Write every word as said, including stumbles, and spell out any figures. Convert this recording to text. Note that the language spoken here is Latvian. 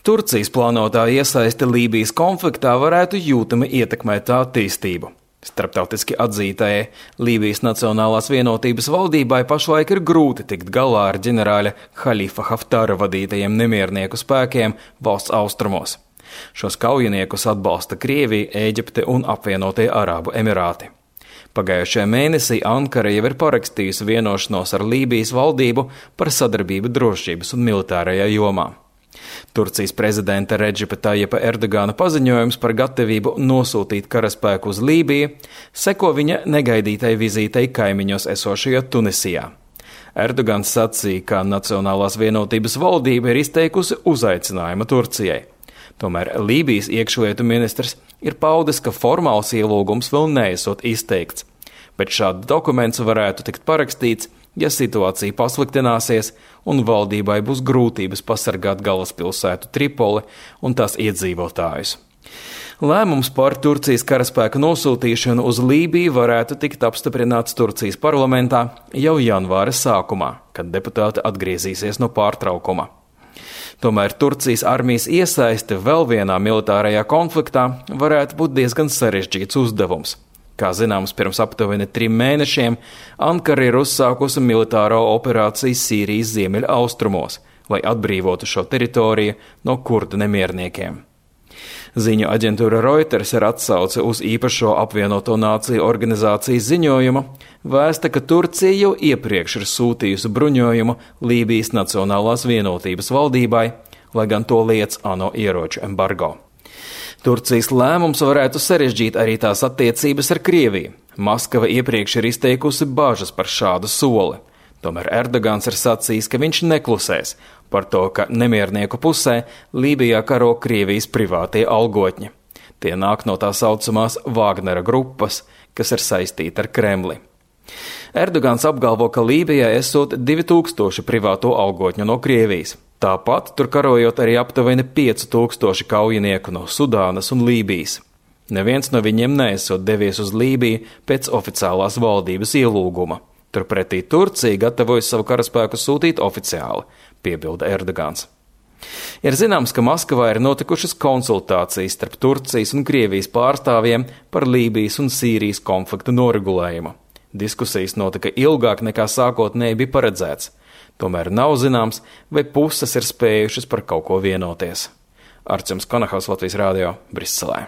Turcijas plānotā iesaiste Lībijas konfliktā varētu jūtami ietekmēt tā attīstību. Starptautiski atzītajai Lībijas Nacionālās vienotības valdībai pašlaik ir grūti tikt galā ar ģenerāļa Halifa Haftara vadītajiem nemiernieku spēkiem valsts austrumos. Šos kaujiniekus atbalsta Krievija, Ēģipte un apvienotie Arābu Emirāti. Pagājušajā mēnesī Ankara jau ir parakstījusi vienošanos ar Lībijas valdību par sadarbību drošības un militārajā jomā. Turcijas prezidenta Redžipa Tajipa Erdogana paziņojums par gatavību nosūtīt karaspēku uz Lībiju seko viņa negaidītai vizītei kaimiņos esošajā Tunisijā. Erdogans sacīja, ka Nacionālās vienotības valdība ir izteikusi uzaicinājumu Turcijai. Tomēr Lībijas iekšlietu ministrs ir paudis, ka formāls ielūgums vēl neesot izteikts, bet šāds dokuments varētu tikt parakstīts, ja situācija pasliktināsies un valdībai būs grūtības pasargāt galvaspilsētu Tripoli un tās iedzīvotājus. Lēmums par Turcijas karaspēka nosūtīšanu uz Lībiju varētu tikt apstiprināts Turcijas parlamentā jau janvāra sākumā, kad deputāti atgriezīsies no pārtraukuma. Tomēr Turcijas armijas iesaiste vēl vienā militārajā konfliktā varētu būt diezgan sarežģīts uzdevums. Kā zināms, pirms aptuveni trim mēnešiem Ankara ir uzsākusi militāro operāciju Sīrijas ziemeļa austrumos, lai atbrīvotu šo teritoriju no kurdu nemierniekiem. Ziņu aģentūra Reuters ar atsauci uz īpašo apvienoto nāciju organizācijas ziņojumu vēsta, ka Turcija jau iepriekš ir sūtījusi bruņojumu Lībijas Nacionālās vienotības valdībai, lai gan to liedz ANO ieroču embargo. Turcijas lēmums varētu sarežģīt arī tās attiecības ar Krieviju. Maskava iepriekš ir izteikusi bažas par šādu soli. Tomēr Erdogans ir sacījis, ka viņš neklusēs par to, ka nemiernieku pusē Lībijā karo Krievijas privātie algotņi. Tie nāk no tā saucamās Vāgnera grupas, kas ir saistīta ar Kremli. Erdogans apgalvo, ka Lībijā esot divi tūkstoši privāto algotņu no Krievijas. Tāpat tur karojot arī aptuveni pieci tūkstoši kaujinieku no Sudānas un Lībijas. Neviens no viņiem neesot devies uz Lībiju pēc oficiālās valdības ielūguma. Turpretī Turcija gatavojas savu karaspēku sūtīt oficiāli, piebilda Erdogans. Ir zināms, ka Maskavā ir notikušas konsultācijas starp Turcijas un Krievijas pārstāvjiem par Lībijas un Sīrijas konfliktu noregulējumu. Diskusijas notika ilgāk nekā sākotnēji bija paredzēts. Tomēr nav zināms, vai puses ir spējušas par kaut ko vienoties. Arčuns Konahaus, Latvijas Rādio, Briselē.